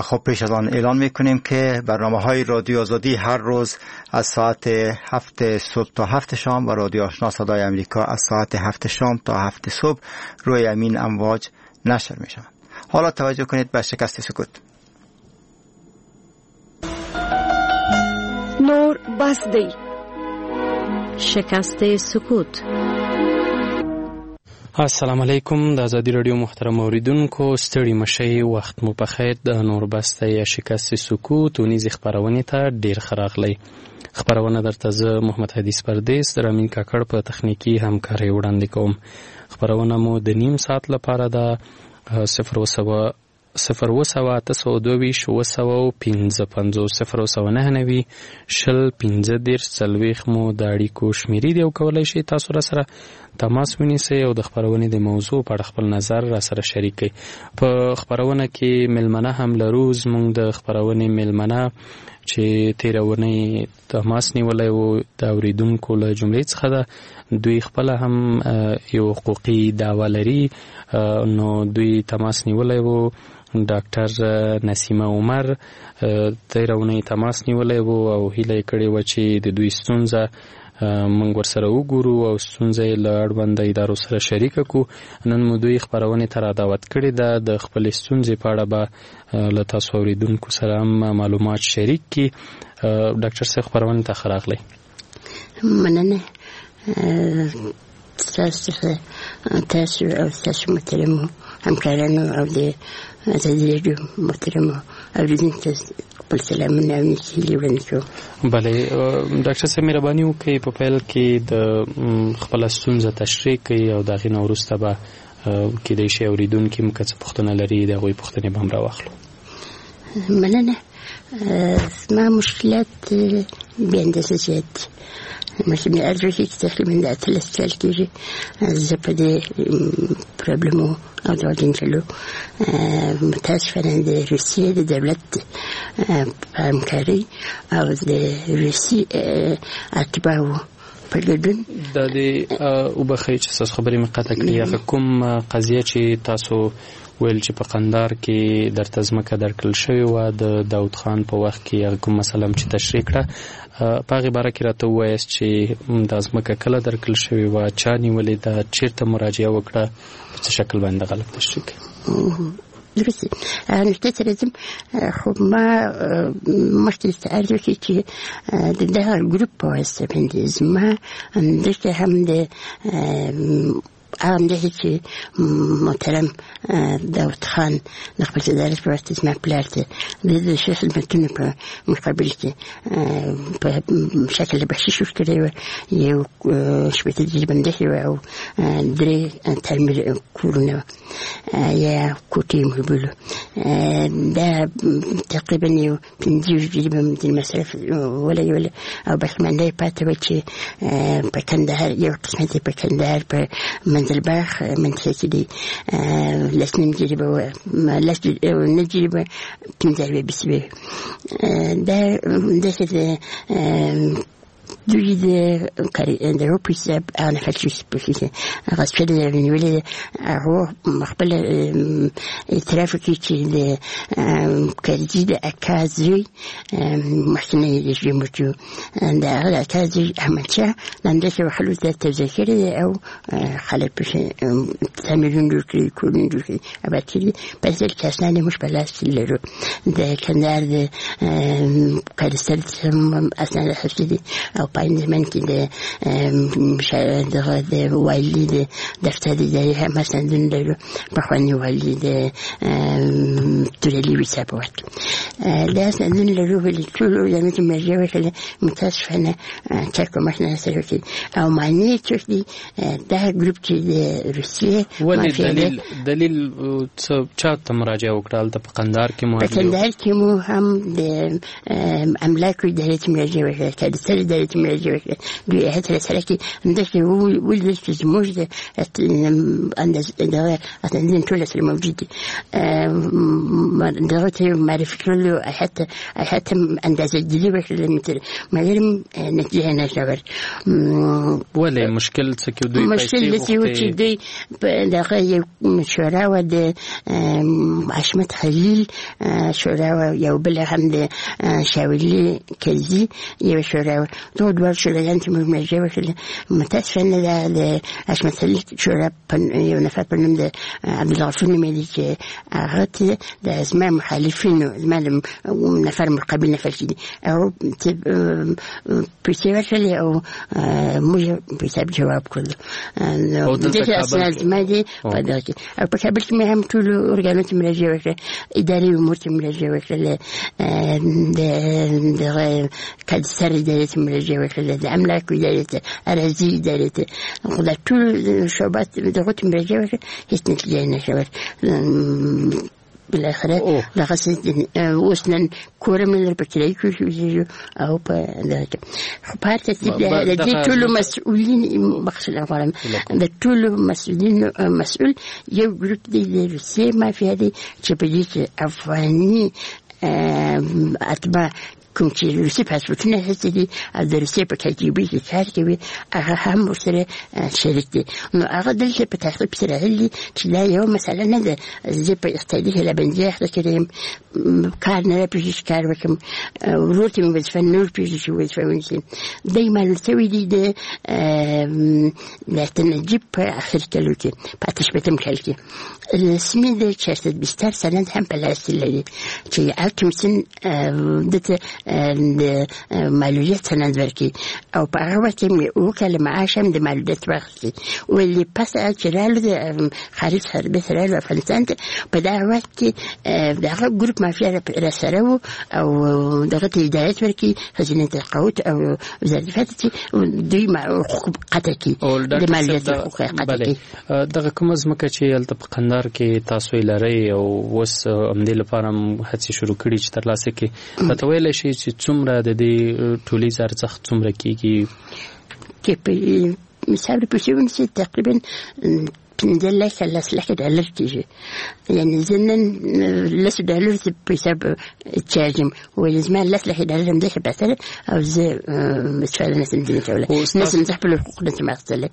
[SPEAKER 2] خب پیش از آن اعلان میکنیم که برنامه های رادیو آزادی هر روز از ساعت هفت صبح تا هفت شام و رادیو آشنا صدای امریکا از ساعت هفت شام تا هفت صبح روی امین امواج نشر میشوند. حالا توجه کنید به شکست سکوت.
[SPEAKER 21] نور بس دی.
[SPEAKER 9] شکست سکوت.
[SPEAKER 22] السلام علیکم د ازادي رادیو محترم اوریدونکو، ستړي مشي، وخت مو په خیر. د نور بسته یا شکست سکوت اونیزې خپرونې ته ډیر ښه راغلی. خپرونه درته زه محمد حدیث پردیس د رامین کاکړ په تخنیکي همکارۍ وړاندې کوم. خپرونه مو د نیم ساعت لپاره ده. صفر سوه صفر اووه سوه اته سوه دوه ویشت اووه سوه او پنځه پنځوس صفر اووه سوه نهه نوي شل پنځه دېرش څلوېښت مو د اړیکو شمېرې دي او کولی شئ تاسو راسره تماس ونیسئ او د خپرونې د موضوع په اړه خپل نظر راسره شریک کړئ. په خپرونه کې مېلمنه هم لرو. زموږ د خپرونې مېلمنه چې تېره اونۍ تماس نیولی و د اورېدونکو له جملې څخه ده. دوی خپله هم یو حقوقي دعوه لري، نو دوی تماس نیولی و. ډاکټر نسیمه عمر تېره اونۍ تماس نیولی و او هیله یې کړې وه چې د دوی ستونزه موږ ورسره وګورو او ستونزه یې له اړونده ادارو سره شریکه کړو. نن مو دوی خپرونې ته را دعوت کړې ده. د خپلې ستونزې په اړه به له تاسو اورېدونکو سره هم معلومات شریک کړي. ډاکټر صاحب، خپرونې ته ښه راغلی.
[SPEAKER 23] مننه ستاسو څخه، تاسو او ستاسو محترمو همکارانو او د ازادي راډیو محترمو اورېدونکو ته خپل سلامونه او نیکې هیلې وړاندې کوم.
[SPEAKER 22] بله ډاکټر صاحب، مهرباني وکړئ په پیل کې د خپله ستونزه تشریح کړئ او د هغې نه وروسته به کېدای شي اورېدونکي هم که څه پوښتنه لري د هغوی پوښتنې به هم راواخلو.
[SPEAKER 23] مننه. زما مشکلات بې اندازه زیات دي. مثلا عرض وکړي چې تقریبا د اتلس کال کېږي زه په دې پرابلمو او دغه جنجالو متاسفانه د روسیې د دولت په همکارۍ او د روسي اتباعو په ګډون
[SPEAKER 22] دا دې وبخښئ چې ستاسو خبرې مې قطع کړې. هغه کوم قضیه چې تاسو ویل چې په قندار کې درته ځمکه درکړل شوې وه د داود خان په وخت کې، هغه کوم مسله هم چې تشریح کړه په هغې باره کې راته ووایاست چې دا ځمکه کله درکړل شوې وه، چا نیولې ده، چېرته مراجعه وکړه، په څه شکل باندې غلط تشریح کړئ.
[SPEAKER 23] درست نکته ته راځم. خو ما مخکې درته عرض وکړي چې د دغه ګروپ په واسطه باندې زما دلته هم د هغه همداسې چې محترم داود خان د خپل صدارت په وخت زما پلار ته د ده ښه خدمتونو په مقابل کې په شکل بخشش ورکړی و، یو شپېته جریبه مځکې وه او درې تعمیر کورونه وه یا کوټې مو بولو. دا تقریبا یو پنځه ویشت جریبه د مصرف ولګوله او باقیمانده یې پاتې وه چې په کندهار یو قسمت یې په کندهار په منزل باغ منطقه کې دی لس نیم جریبه وه، لس نه جریبه پنځه اربع بیسوې. دا داسې د دوی د د په حساب هغه نفر چې پوهېږي غصب شوې ده نیولې ده، هغو خپل اعتراف وکړي چې د کرزي د اکا زوی مخکنی رژیم و چې د هغه د اکا زوی احمدشاه د همداسې خلکو ته توزیع کړې ده او خلک پکې تعمیرونه جوړ کړي، کورونه جوړ کړي، اباد کړي. په اصل کې اسناد یې موږ په لاس کې لرو. د کندهار د کادستر هم اسناد اخیستي دي او په عین زمان کې د دغه د والي د دفتر ادارې هم اسنادونه لرو، پخواني والي د تورلي ویسا په وخت کې دا اسنادونه لرو. ولې ټولو ارګانونو ته مراجعه وکړه، متاسفانه چا کومک نه سره وکړي او معنی یې څوک دي دا ګروپ چې د روسیې
[SPEAKER 22] ولې دلیل دلیل څه چا ته مراجعه وکړه؟ هلته په قندهار کې مو
[SPEAKER 23] په کندهار کې مو هم د املاکو ادارې ته مراجعه وکړه، کادستر ادارې ته مراجعه وکړه، دوی هیئت سره کې همداسې ولیدل چې زموږ د دغه اسناد ټول سره موجود دي. دغه ته معرفي کړلو، هیئت هیئت اندازه ګیري وکړه، مګر نتیجه نه شوه.
[SPEAKER 22] ولې مشکل څه کې دوی
[SPEAKER 23] مشکل څه و چې دوی دغه یو شورا و د حشمت خلیل شورا و یو بل هم د شاولي کرزي یو شورا و، دوه دوه شوراګان چې موږ مراجعه وکړه. متاسفانه د حشمت خلیل شورا یو نفر په نوم د عبدالغفور نومېدی چې هغه ته د زما مخالفینو زما نفر مقابل نفر چې دي هغه پیسې ورکړلې او موږ پیسې جواب کړلو. دغه اسناد زما دي په دغه کې. او په کابل کې مې هم ټولو ارګانو ته مراجعه وکړه، اداري امور ته مراجعه وکړه، د دغه کادستر ادارې ته مراجعه وکړه، د املاکو ادارې ته، اراضي ادارې ته، خو دا ټول شعبات دغو ته مراجعه وکړه، هېڅ نتیجه یې نه شوه. بالاخره دغه اوس نن کور مې لري په کرایه کې اوسېږو او په دغه کې. خو په هر ترتیب د دې ټولو مسؤلین بخښنه غواړم، د ټولو مسؤلین مسؤل یو ګروپ دی د روسیې مافیا دی چې په دې کې افغاني اتباع کوم چې روسي پاسپورتونه اخیستي دي او د روسیې په کاګبي کې کار کوي هغه هم ورسره شریک دي. نو هغه دلته په تحقیق سره راغلي چې دا یوه مسله نه ده، زه په اقتصادي هلهبندي اخته کړی یم، کار نه راپېږي چې کار وکړم، ورور ته مې وظیفه نه ورپېږي چې وظیفه ونیسي. دی معلوم شوی دی د د نجیب په اخر کلو کې په اته شپېتم کال کې رسمي د چهارصد بستر سند هم په لاس کې لري چې هغه کمیسیون ده ته د معلولیت سند ورکړي او په هغه وخت کې مې اووه کاله معاش هم د معلولیت واخیستی. ولې پس چې رالو د خارج څخه بېرته رالو افغانستان ته، په دغه وخت کې د هغه ګروپ مافیا راسره و او دغه ته هدایت ورکړي خزینې تقاعد او وزارت دفاع ته چې دوی حقوق قطع کړي، د معلولیت حقوق قطع کړي.
[SPEAKER 22] دغه کومه ځمکه چې هلته په قندهار کې تاسو یې لرئ او اوس همدې لپاره هم هڅې شروع کړي چې ترلاسه کړي، راته ویلی شئ چې څومره د دې ټولیز ارزښت څومره کېږي؟
[SPEAKER 23] چې په مثال پیسې ونیسي تقریبا پنځه لکه لس لکه ډالر کېږي. یعنې زه نن لس ډالر په حساب چارجم، ولې زما لس لکه ډالر همداسې پیسې ده او زه استفاده نشم ځینې کولی، نشم زه خپل حقوق نشم اخیستلی.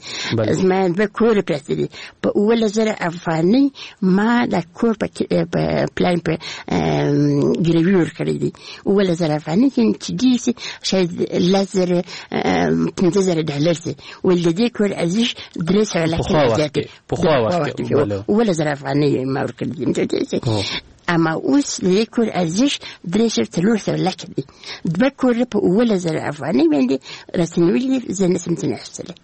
[SPEAKER 23] زما دوه کوره پراته دي، په اوولس زره افغانۍ ما دا کور په پلان په ګروي ورکړی دی. اوولس زره افغانۍ چې ډېر سي شاید لس زره پنځه زره ډالر سي، ولې د دې کور ارزش درې سوه لکه زیات دی.
[SPEAKER 22] پخوا وخت کې
[SPEAKER 23] اوولس زره افغانۍ ما ورکړي دي. اما اوس د دې کور ارزش درې سوه څلور سوه لکه دی. دوه کوره په اوولس زره افغانۍ باندې راته نیولي دي، زه نشم ځینې اخیستلی.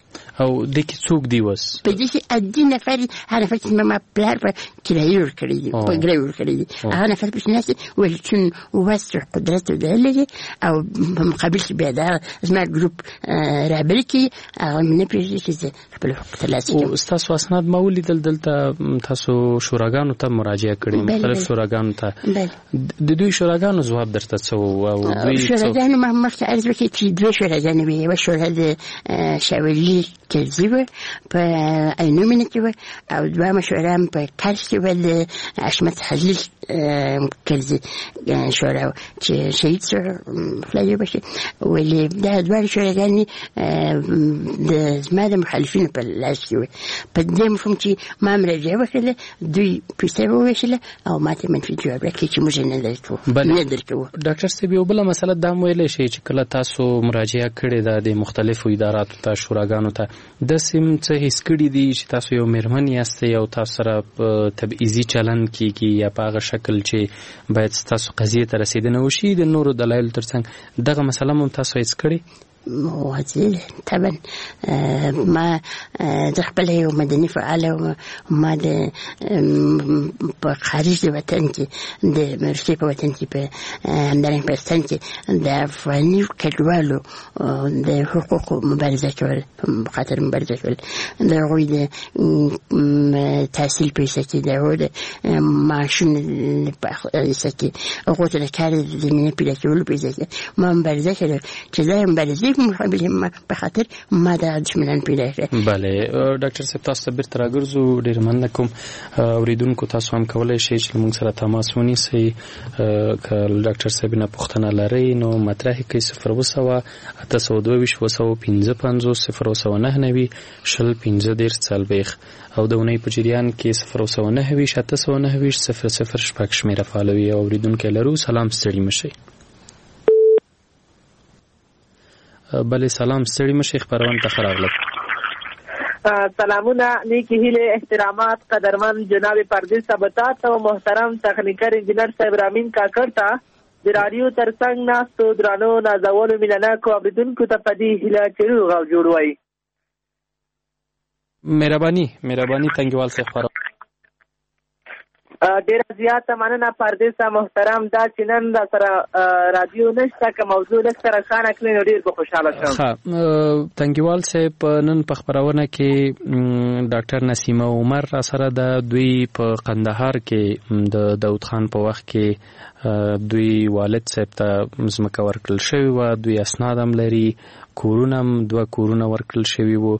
[SPEAKER 22] او دې کې څوک دی اوس؟
[SPEAKER 23] په دې کې عادي نفر، هغه نفر چې ما پلار په کرایه ورکړی دی، په ګروي ورکړی دی، هغه نفر پکې ناست دی، ویل چون وس قدرت لري او په مقابل کې بیا دا زما ګروپ رهبري کوي، هغه مې نه پرېږدي چې زه خپل حقوق ترلاسه کړم.
[SPEAKER 22] او ستاسو اسناد ما ولیدل، دلته تاسو شوراګانو ته مراجعه کړې، مختلف شوراګانو ته، د دوی شوراګانو ځواب درته څه و؟ او دوی
[SPEAKER 23] شوراګانو ما مخکې عرض وکړ چې دوه شوراګانې وې، یوه شورا د شاولي کرزي وه په عینو مینه کې وه او دوهمه شورا هم په کرز کې وه د حشمت خلیل کرزي شورا وه چې شهید شو، خدای یې وبخښي. ولې دا دواړه شوراګانې د زما د مخالفینو په لاس کې وې، په دې مفهوم چې ما مراجعه وکړله، دوی پیسې وویشله او ما ته منفي جواب راکړ چې موږ نه درکوو نه درکوو.
[SPEAKER 22] ډاکټر صاحب یو بله مسله دا هم ویلی شئ چې کله تاسو مراجعه کړې ده د مختلفو اداراتو ته، شوراګانو ته، داسې هم څه حس کړي دي چې تاسو یو مېرمن یاستئ او تاسو سره تبعیضي چلند کیږي یا په هغه شکل چې باید ستاسو قضیې ته رسېدنه وشي د نورو دلایلو ترڅنګ، دغه مسله هم تاسو حس کړې؟
[SPEAKER 23] طبعا ما د خپل یو مدني فعال ما د په خارج د وطن کې د روسیې په وطن کې په همدارنګه په پاکستان کې د افغاني کډوالو د حقوقو مبارزه کول، په خاطر مبارزه کول، د هغوی د تحصیل په حصه کې، د هغوی د معاشونو په حصه کې، هغو ته د کار زمینه پیدا کولو په حصه کې ما مبارزه کړې چې دا مبارزې په مقابل په خاطر ما دا دښمنان پیدا کړل.
[SPEAKER 22] بله ډاکټر صاحب، تاسو ته بیرته راګرځو. ډېر مننه کوم. اوریدونکو تاسو هم کولای شئ چې موږ سره تماس ونیسئ. که ډاکټر صاحب نه پوښتنه لرئ نو مطرح کړئ. صفر اووه سوه اته سوه دوه ویشت اووه سوه پنځه پنځوس صفر اووه سوه نهه نوي شل پنځه دېرش څلوېښت او د اونۍ په جریان کې صفر اووه سوه نهه ویشت اته سوه نهه ویشت صفر صفر شپږ شمېره فعالوي. او اوریدونکی لرو. سلام، ستړي مه شئ. بله سلام، ستړي مه شئ، خپرونې ته ښه راغلئ.
[SPEAKER 4] سلامونه، نیکی هیلې، احترامات قدرمن جناب پردیس صاحب ته او محترم تخنیکر انجینر صاحب رامین کاکړ ته، د راډیو ترڅنګ ناستو درانو نازولو مینه ناکو اورېدونکو ته په دې هیله چې روغ او جوړ وئ.
[SPEAKER 22] مهرباني مهرباني تنګیوال صاحب. خپرونه
[SPEAKER 4] ډېره زیاته مننه پردیسه محترم. دا چې نن را سره رادیو نشته، که موضوع لږ سره روښانه کړئ نو ډېر به خوشحاله شم.
[SPEAKER 22] ښه تنګیوال صاحب، نن په خپرونه کې ډاکټر نسیمه عمر را سره ده. دوی په قندهار کې د داود خان په وخت کې دوی والد صاحب ته ځمکه ورکړل شوې وه. دوی اسناد هم لري، کورونه هم دوه کورونه ورکړل شوي وو.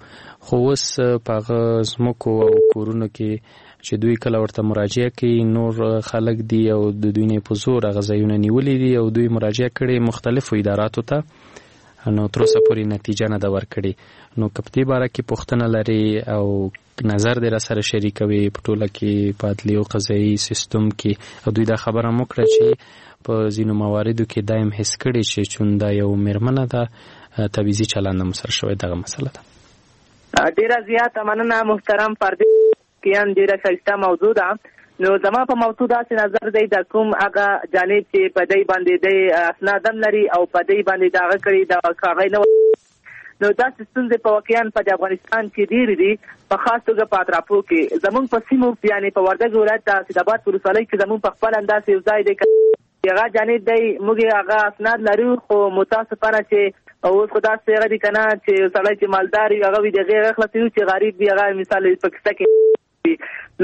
[SPEAKER 22] خو اوس په هغه ځمکو او کورونو کې چې دوی کله ورته مراجعه کوي نور خلک دي او د دوی نه په زور هغه ځایونه نیولي دي او دوی مراجعه کړې مختلفو اداراتو ته، نو تر اوسه پورې نتیجه نه ده ورکړې. نو که په دې باره کې پوښتنه لري او نظر دې را سره شریکوي په ټوله کې په عدلي او قضایي سیستم کې، او دوی دا خبره هم وکړه چې په ځینو مواردو کې دا هم حس کړي چې چون دا یو مېرمنه ده تبعیضي چلند هم سره شوی، دغه مسله ده.
[SPEAKER 4] ډېره زیاته مننه محترم پردیس کیان، ډېره ښایسته موضوع ده. نو زما په موضوع داسې نظر دی، د کوم هغه جانب چې په دی باندې دی اسناد هم لري او په دی باندې د هغه کړي د کاغۍ نه، نو داسې ستونزې په واقعا په افغانستان کې ډېرې دي، په خاص توګه په اطرافو کې. زمونږ په سیمو یعنې په وردګ ولایت د اسداباد ولسوالۍ کې زمونږ په خپل انداز یو ځای دی، هغه جانب دی، موږ هغه اسناد لرو، خو متاسفانه چې اوس خو داسې هغه دي که نه چې سړی چې مالدار وي هغه وي د هغې هغه خلاصوي، چې غریب وي هغه مثال په کیسه کې،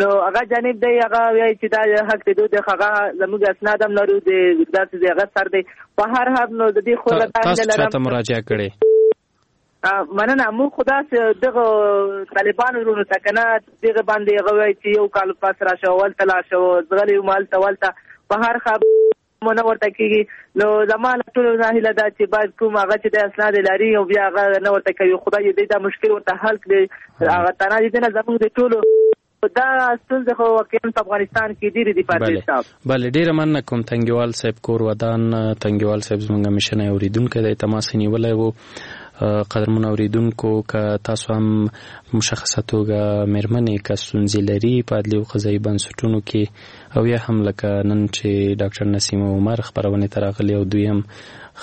[SPEAKER 4] نو هغه جانب دی هغه وایي چې دا حق دی دوی هغه زموږ اسناد هم لرو، د داسې هغه سر دی په هر حال. نو د دې خو
[SPEAKER 22] تاسو چاته مراجعه کړې؟
[SPEAKER 4] مننه، موږ خو داسې دغه طالبانو وروڼو ته که نه دغه باندې هغه وایي چې یو کال پس راشه هلته لاړ شه ځغلې وم هلته ولته، په هر حال مو نه ورته کېږي. نو زما له ټولو نه هیله ده چې باید کوم هغه چې د اسناد لري او بیا هغه نه ورته کوي، خدای دې دا مشکل ورته حل کړي. هغه تنها دې نه زموږ د ټولو دا ستونزې خو واقعا په افغانستان کې ډېرې دي پردیس صاحب.
[SPEAKER 22] بله ډېره مننه کوم تنګیوال صاحب، کور ودان. تنګیوال صاحب زموږ همیشنی اورېدونکی دی، تماس یې نیولی و. قدرمن اوریدونکو، که تاسو هم مشخصه توګه مېرمنې که ستونزې لري په عدلي او قضایي بنسټونو کې، او یا هم لکه نن چې ډاکټر نسیمه عمر خپرونې ته راغلي او دوی هم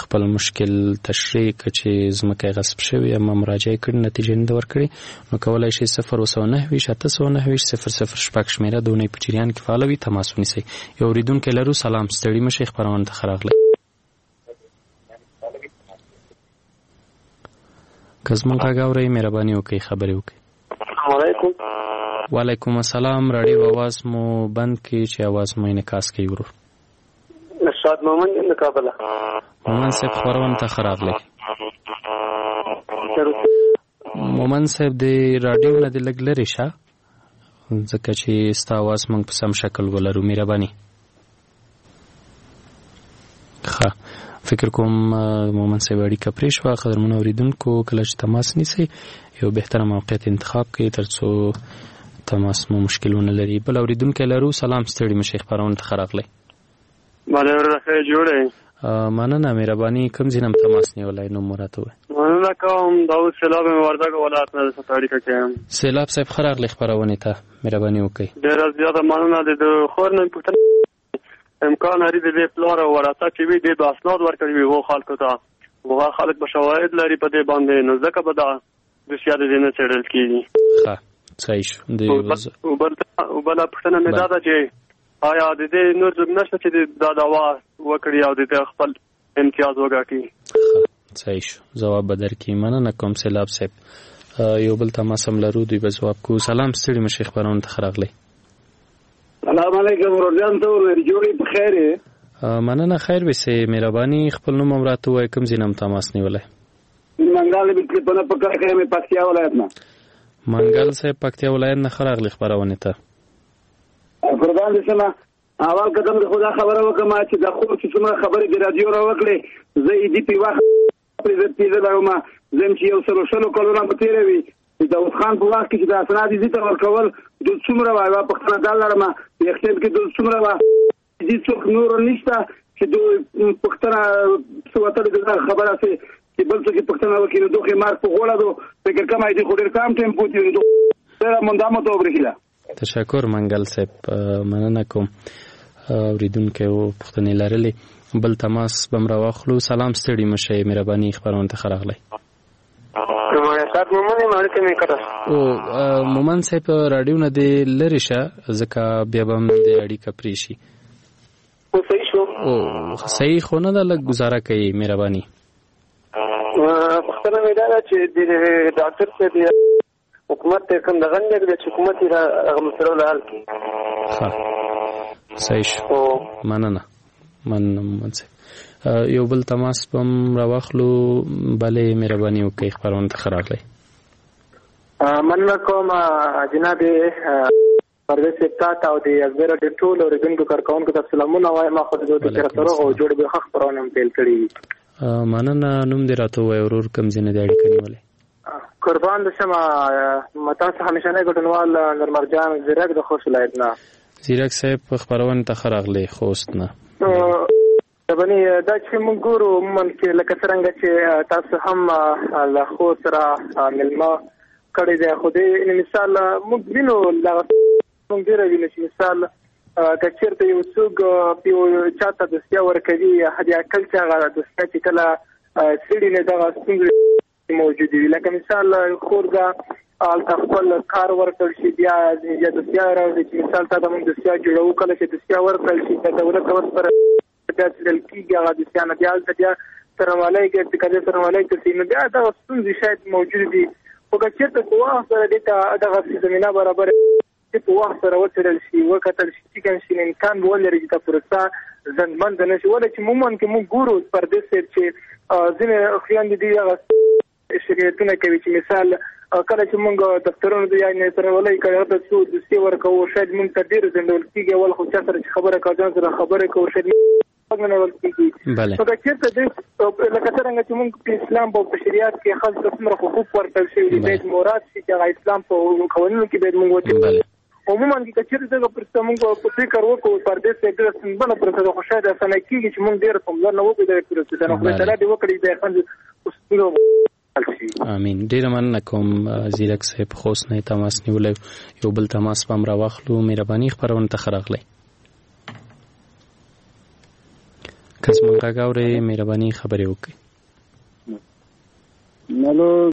[SPEAKER 22] خپل مشکل تشریح کړ چې ځمکه یې غصب شوې اما مراجعه کړې نتیجه نه ده ورکړې، نو کولای شئ صفر اووه سوه نهه ویشت اته سوه نهه ویشت صفر صفر شپږ شمېره د اونۍ په جریان کې فعاله وي، تماس ونیسئ. یو اورېدونکی لرو. سلام، ستړي مه شئ، خپرونې ته ښه راغلئ. که زموږ غږ اورئ مهرباني وکړئ خبرې وکړئ.
[SPEAKER 13] السلام علیکم.
[SPEAKER 22] وعلیکم السلام. راډیو اواز مو بند کړئ چې اواز مو انعکاس کوي ورور.
[SPEAKER 13] نشاد مومند یم د کابله.
[SPEAKER 22] مومند صاحب خپرونې ته ښه راغلئ. مومند صاحب د راډیو نه دې لږ لرې شه، ځکه چې ستا اواز موږ په سم شکل ولرو، مهرباني. ښه، فکر کوم مومند صاحب اړیکه پرې شوه. قدرمنو اورېدونکو، کله چې تماس نیسئ یو بهتره موقعیت انتخاب کړئ ترڅو تماس مو مشکل ونه لري. بل اورېدونکی لرو. سلام، ستړي مه شئ، خپرونې ته ښه راغلئ.
[SPEAKER 13] بله وروره ښه جوړ یې؟
[SPEAKER 22] مننه، مهرباني. کوم ځای نه هم تماس نیولی، نوم مو راته ووایه.
[SPEAKER 13] مننه کوم، داود سیلاب یم، وردګو ولایت نه درسره په اړیکه کې یم.
[SPEAKER 22] سیلاب صاحب ښه راغلئ خپرونې ته، مهرباني وکړئ.
[SPEAKER 13] ډېره زیاته مننه. د خور نه پوښتنه، امکان لري د دې پلار او ورثه چې وي دې به اسناد ورکړي وي هغو خلکو ته، هغه خلک به شواهد لري په دې باندې، نو ځکه به دا دوسیه د دې نه څېړل کېږي.
[SPEAKER 22] ښه، صحیح شو.
[SPEAKER 13] بله پوښتنه مې دا ده چې آیا د دې نور څوک نشته چې دا دعوا وکړي او د دې خپل امتیاز وګټي؟
[SPEAKER 22] ښه، صحیح شو، ځواب به درکړي. مننه کوم سیلاب صاحب. یو بل تماس هم لرو، دوی به ځواب کوو. سلام، ستړي مه شئ، خپرونې ته ښه راغلئ.
[SPEAKER 16] سلام علیکم ورور جان، ته ورور جوړې په خیر یې؟
[SPEAKER 22] مننه، خیر وسې، مهرباني. خپل نوم هم راته ووایه، کوم ځای نه هم تماس نیولی؟
[SPEAKER 7] منګل به تلفن په کار کې مې پکتیا ولایت نه.
[SPEAKER 22] منګل صاحب پکتیا ولایت نه ښه راغلې خپرونې ته.
[SPEAKER 7] قربان دې شم. اول قدم د خدا خبره وکم چې د خور چې څومره خبرې د رادیو را وکړې، زه یې دې په وخت پرې زه پیزه لرم، زم چې یو سلو شلو کلونه به تېره وي د داود خان په وخت کې چې د اسناد یې ته ورکول د څومره وه، یوه پوښتنه دا لرم یخچال کې د څومره وه، دې څوک نور نشته چې دوی پوښتنه څه وتلې دغه خبره سي چې بل څوک پوښتنه وکړي نو دوی مرګ په غوړه دو فکر کوم دې خو ډېر کم ټایم پوتې نو ډېره مونده ته وبرېښله.
[SPEAKER 22] تشکر منګل صاحب، مننه کوم. اوریدونکی و پوښتنې لرلې. بل تماس به م راواخلو. سلام، ستړي مه شئ، مهرباني خپرونې ته ښه راغلی. او مومن صاحب راډیو نه دې لرې شه ځکه بیا به هم د اړیکه پرې شي.
[SPEAKER 8] صحیح شو؟
[SPEAKER 22] او صحیح خو نه ده، لږ ګزاره کوي مهرباني.
[SPEAKER 8] پوښتنه مې دا ده چې د ډاکټر صاحب حکومت ته کوم دغه نه دی چې حکومت یې هغه مسله له حل کړي.
[SPEAKER 22] ښه صحیح شو، مننه مننه مومن صاحب. یو بل تماس به هم راواخلو. بله مهرباني وکړئ، خپرونې ته ښه راغلی.
[SPEAKER 8] مننه کوم جناب پرویز صاحب تاته او د ازادي راډیو ټولو اورېدونکو کارکوونکو ته سلامونه وایم. خو د دوی تر روغ او جوړ به ښه خپرونه هم پیل کړې.
[SPEAKER 22] مننه. نوم دې راته ووایه ورور، کوم ځای نه دې اړیکه نیولې؟
[SPEAKER 8] قربان دې شم، تاسو همیشنی ګډونوال نورمرجان زیرک د خوست ولایت نه.
[SPEAKER 22] زیرک صاحب خپرونې ته ښه راغلې خوست نه.
[SPEAKER 8] ربني دا چې موږ ګورو عموماً کې لکه څرنګه چې تاسو هم له خوست سره مېلمه کړی دی، خو دې مثال موږ وینو، موږ ډېره وینو چې مثال که چېرته یو څوک یو چا ته دوسیه ورکوي، حد اقل چې هغه دوسیه چې کله څېړي نو دغه ستونزې موجودې وي. لکه مثال خور ده هلته خپل کار ورکړل شي، بیا بیا دوسیه راوړي چې مثال تا ته موږ دوسیه جوړوو، کله چې دوسیه ورکړل شي د دولت ته ورسره بیا څېړل کېږي هغه دوسیه نه، بیا هلته بیا څارنوالۍ کې قضیه څارنوالۍ ته ځي، نو بیا دغه ستونزې شاید موجودې دي. خو که چېرته په وخت سره دې ته دغسې زمینه برابره چې په وخت سره وڅېړل شي، وکتل شي چې کوم شي، امکان به ولري چې دا پروسه ځنډمنده نه شي. ولې چې عموماً کې موږ ګورو پردیس صاحب چې ځینې خویندې دي هغه شکایتونه کوي چې مثال کله چې موږ دفترونو ته یا څارنوالۍ کې هغه ته څو دوسیې ورکوو، شاید موږ ته ډېر ځنډول کېږي. اول خو چا سره چې خبره کوو، ځان سره خبره کوو، شاید نه نیول کېږي. نو که چېرته دې لکه څرنګه چې موږ په اسلام په شریعت کې ښځو ته څومره حقوق ورکړل شوي دي، باید مراد شي چې هغه اسلام په قوانینو کې باید موږ وچېړو. عموماً که چېرته دغه پرسته موږ په فکر وکړو، پردیس صاحب ډېره ستونزمنه پروسه ده، خو شاید اسانه کېږي چې موږ ډېره پاملرنه وکړو دغې پروسې ته. نو خدای تعالی دې وکړي چې ښځې ستونزه حل شي.
[SPEAKER 22] امین. ډېره مننه کوم زیرک صاحب، خوست نه یې تماس نیولی. یو بل تماس به هم راواخلو. مهرباني، خپرونې ته ښه راغلی. که زموږ غږ اورئ مهرباني خبرې وکړئ.
[SPEAKER 16] الو